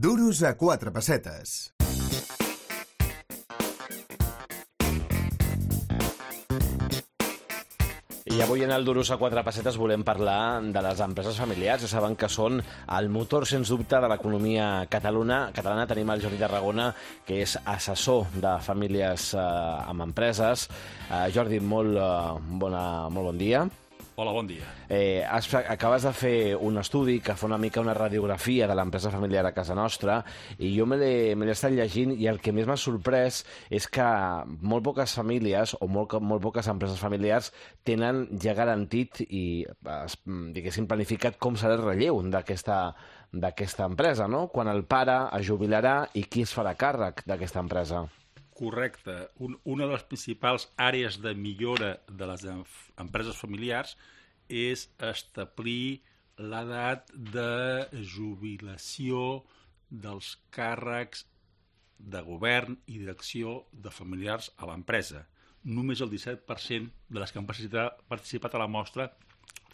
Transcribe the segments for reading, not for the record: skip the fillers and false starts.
Duros a 4 pessetes. I avui en el Duros a 4 pessetes volem parlar de les empreses familiars. Ja saben que són el motor, sens dubte, de l'economia catalana. Tenim el Jordi Tarragona, que és assessor de famílies amb empreses. Jordi, molt bon dia. Hola, bon dia. Acabes de fer un estudi que fa una mica una radiografia de l'empresa familiar a casa nostra i jo me l'he estat llegint i el que més m'ha sorprès és que molt poques famílies o molt poques empreses familiars tenen ja garantit i, diguéssim, planificat com serà el relleu d'aquesta empresa, no? Quan el pare es jubilarà i qui es farà càrrec d'aquesta empresa. Correcte. Una de les principals àrees de millora de les empreses familiars és establir l'edat de jubilació dels càrrecs de govern i direcció de familiars a l'empresa. Només el 17% de les que han participat a la mostra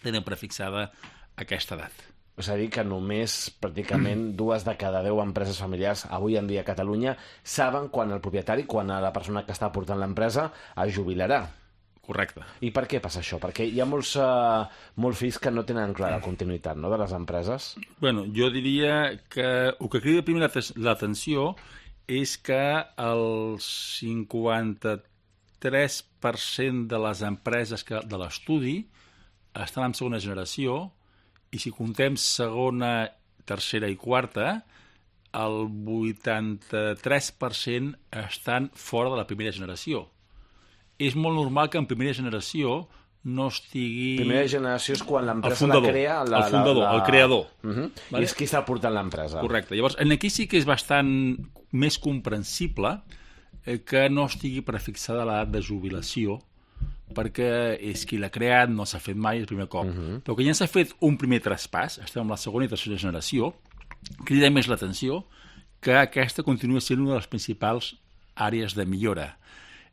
tenen prefixada aquesta edat. És a dir, que només pràcticament 2 de cada 10 empreses familiars avui en dia a Catalunya saben quan el propietari, quan la persona que està portant l'empresa es jubilarà. Correcte. I per què passa això? Perquè hi ha molts fills que no tenen clara la continuïtat, no?, de les empreses. Bueno, jo diria que el que crida primer l'atenció és que el 53% de les empreses de l'estudi estan en segona generació i si contem segona, tercera i quarta, el 83% estan fora de la primera generació. És molt normal que en primera generació no estigui... Primera generació és quan l'empresa la crea... El fundador, el creador. Vale? I és qui està portant l'empresa. Correcte. Llavors, aquí sí que és bastant més comprensible que no estigui prefixada l'edat de jubilació, perquè és qui l'ha creat, no s'ha fet mai el primer cop. Però que ja s'ha fet un primer traspàs, estem en la segona i tercera generació, crida més l'atenció que aquesta continua sent una de les principals àrees de millora.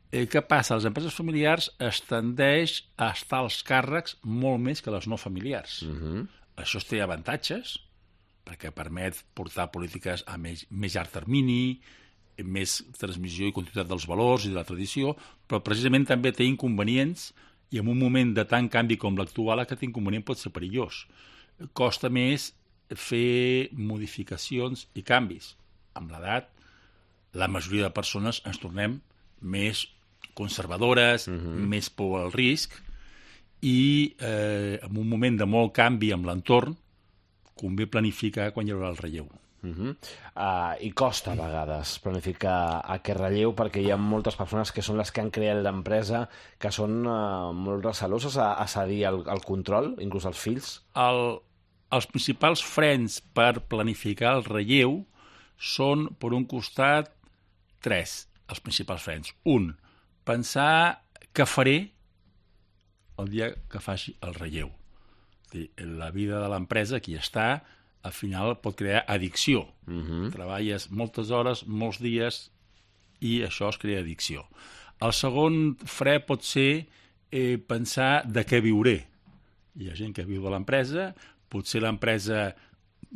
Què passa? A les empreses familiars es tendeix a estar als càrrecs molt més que les no familiars. Això té avantatges, perquè permet portar polítiques a més llarg termini, més transmissió i continuïtat dels valors i de la tradició, però precisament també té inconvenients i en un moment de tant canvi com l'actual aquest inconvenient pot ser perillós. Costa més fer modificacions i canvis. Amb l'edat, la majoria de persones ens tornem més conservadores, més por al risc i en un moment de molt canvi amb l'entorn convé planificar quan hi haurà el relleu. I costa a vegades planificar aquest relleu perquè hi ha moltes persones que són les que han creat l'empresa que són molt receloses a cedir el control, inclús els fills. Els principals frens per planificar el relleu són, per un costat, 3, els principals frens. Un, pensar què faré el dia que faci el relleu. La vida de l'empresa, qui està, al final pot crear addicció. Treballes moltes hores, molts dies, i això es crea addicció. El segon fre pot ser pensar de què viuré. Hi ha gent que viu de l'empresa, potser l'empresa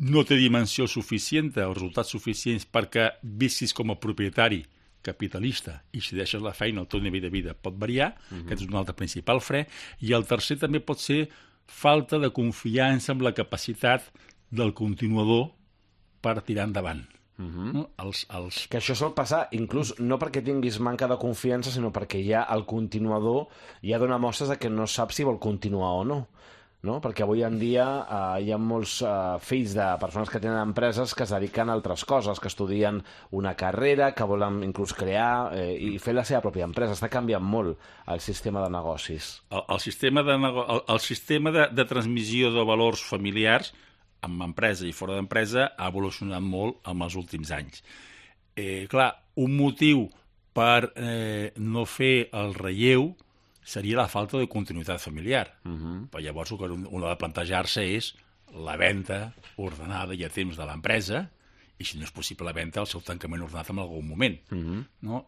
no té dimensió suficient o resultats suficients perquè visquis com a propietari capitalista i si deixes la feina el teu nivell de vida pot variar, aquest és un altre principal fre, i el tercer també pot ser falta de confiança en la capacitat del continuador per tirar endavant. Que això sol passar, inclús no perquè tinguis manca de confiança, sinó perquè ja el continuador ja dona mostres de que no sap si vol continuar o no. Perquè avui en dia hi ha molts fills de persones que tenen empreses que es dediquen a altres coses, que estudien una carrera, que volen inclús crear i fer la seva pròpia empresa. Està canviant molt el sistema de negocis. El sistema de transmissió de valors familiars amb empresa i fora d'empresa ha evolucionat molt en els últims anys. Clar, un motiu per no fer el relleu seria la falta de continuïtat familiar. Però llavors el que un ha de plantejar-se és la venda ordenada i a temps de l'empresa i si no és possible la venda, el seu tancament ordenat en algun moment.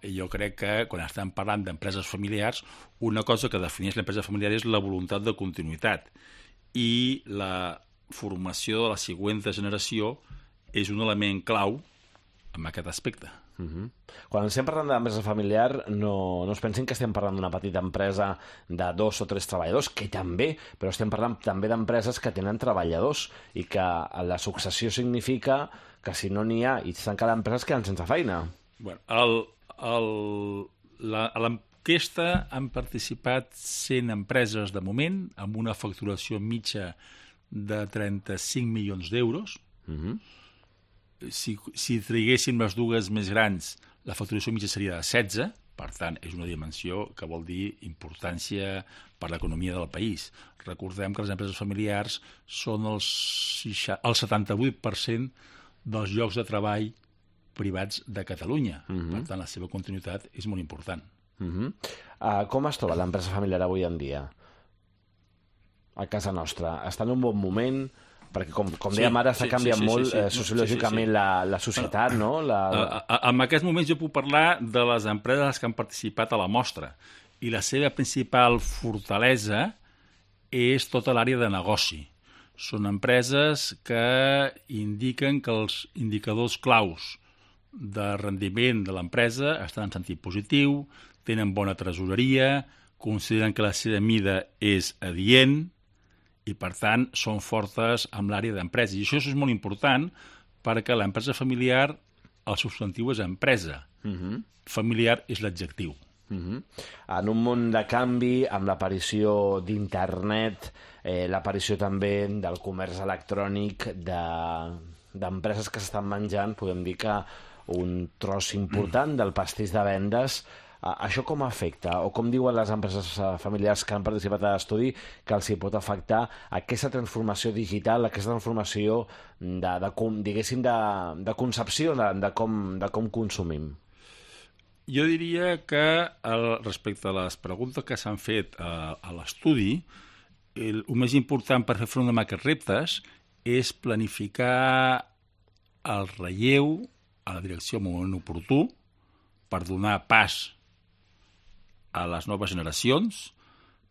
I jo crec que quan estem parlant d'empreses familiars, una cosa que defineix l'empresa familiar és la voluntat de continuïtat i la formació de la següent generació és un element clau en aquest aspecte. Quan estem parlant d'empresa familiar, no es pensin que estem parlant d'una petita empresa de 2 o 3 treballadors, que també, però estem parlant també d'empreses que tenen treballadors i que la successió significa que si no n'hi ha i tanca l'empresa es queden sense feina. Bueno, a l'enquesta han participat 100 empreses de moment, amb una facturació mitja de 35 milions d'euros. Si triguéssim les dues més grans, la facturació mitja seria de 16, per tant, és una dimensió que vol dir importància per l'economia del país. Recordem que les empreses familiars són el 78% dels llocs de treball privats de Catalunya. Per tant, la seva continuïtat és molt important. Com es troba l'empresa familiar avui en dia? A casa nostra. Està en un bon moment? Perquè, com dèiem ara, està canviant molt sociològicament la societat, no? En aquests moments jo puc parlar de les empreses que han participat a la mostra i la seva principal fortalesa és tota l'àrea de negoci. Són empreses que indiquen que els indicadors claus de rendiment de l'empresa estan en sentit positiu, tenen bona tresoreria, consideren que la seva mida és adient i, per tant, són fortes amb l'àrea d'empresa. I això és molt important perquè l'empresa familiar, el substantiu és empresa. Familiar és l'adjectiu. En un món de canvi, amb l'aparició d'internet, l'aparició també del comerç electrònic, d'empreses que s'estan menjant, podem dir que un tros important del pastís de vendes. Això com afecta, o com diuen les empreses familiars que han participat a l'estudi, que els hi pot afectar aquesta transformació digital, aquesta transformació diguéssim, de concepció de com consumim? Jo diria que respecte a les preguntes que s'han fet a l'estudi, el més important per fer front a aquests reptes és planificar el relleu a la direcció en un moment oportú per donar pas a les noves generacions,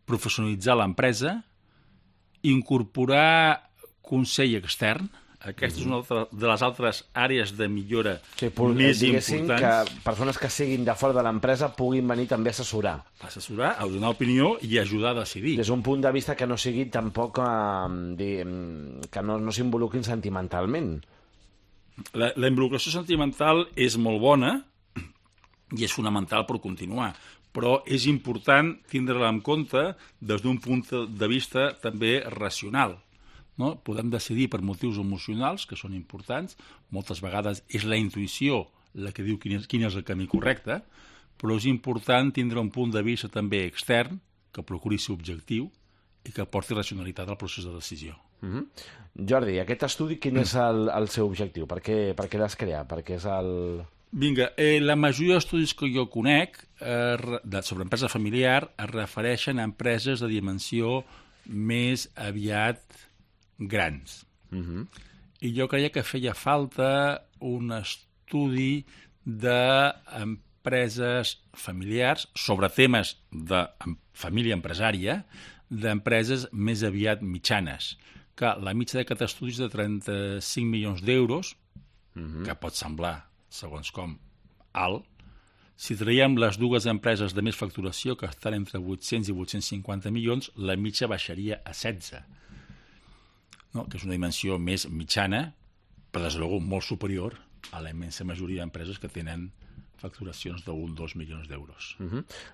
professionalitzar l'empresa, incorporar consell extern. Aquesta és una de les altres àrees de millora més importants. Que persones que siguin de fora de l'empresa puguin venir també a assessorar. A donar opinió i ajudar a decidir. Des d'un punt de vista que no sigui tampoc que no s'involucrin sentimentalment. La involucració sentimental és molt bona i és fonamental per continuar, però és important tindre-la en compte des d'un punt de vista també racional. No? Podem decidir per motius emocionals, que són importants, moltes vegades és la intuïció la que diu quin és el camí correcte, però és important tindre un punt de vista també extern, que procuri ser objectiu i que porti racionalitat al procés de decisió. Jordi, aquest estudi quin és el seu objectiu? Per què l'has creat? Per què és el... Vinga, la majoria d'estudis que jo conec sobre empresa familiar es refereixen a empreses de dimensió més aviat grans. I jo creia que feia falta un estudi d'empreses familiars sobre temes de família empresària, d'empreses més aviat mitjanes. Que la mitja d'aquest estudi és de 35 milions d'euros, que pot semblar segons com, alt. Si traiem les dues empreses de més facturació, que estan entre 800 i 850 milions, la mitja baixaria a 16. No? Que és una dimensió més mitjana, però des de luego molt superior a la immensa majoria d'empreses que tenen facturacions d'1-2 milions d'euros.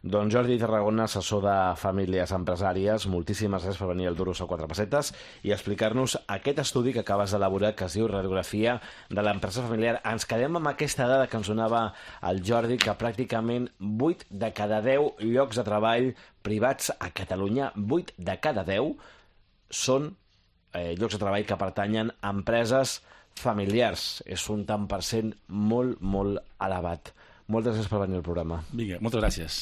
Doncs Jordi Tarragona, assessor de famílies empresàries, moltíssimes gràcies per venir al Duros a 4 pessetes i explicar-nos aquest estudi que acabes d'elaborar, que es diu Radiografia de l'empresa familiar. Ens quedem amb aquesta dada que ens donava el Jordi, que pràcticament 8 de cada 10 llocs de treball privats a Catalunya, 8 de cada 10 són llocs de treball que pertanyen a empreses familiars. És un tant per cent molt, molt elevat. Moltes gràcies per venir al programa. Vinga, moltes gràcies.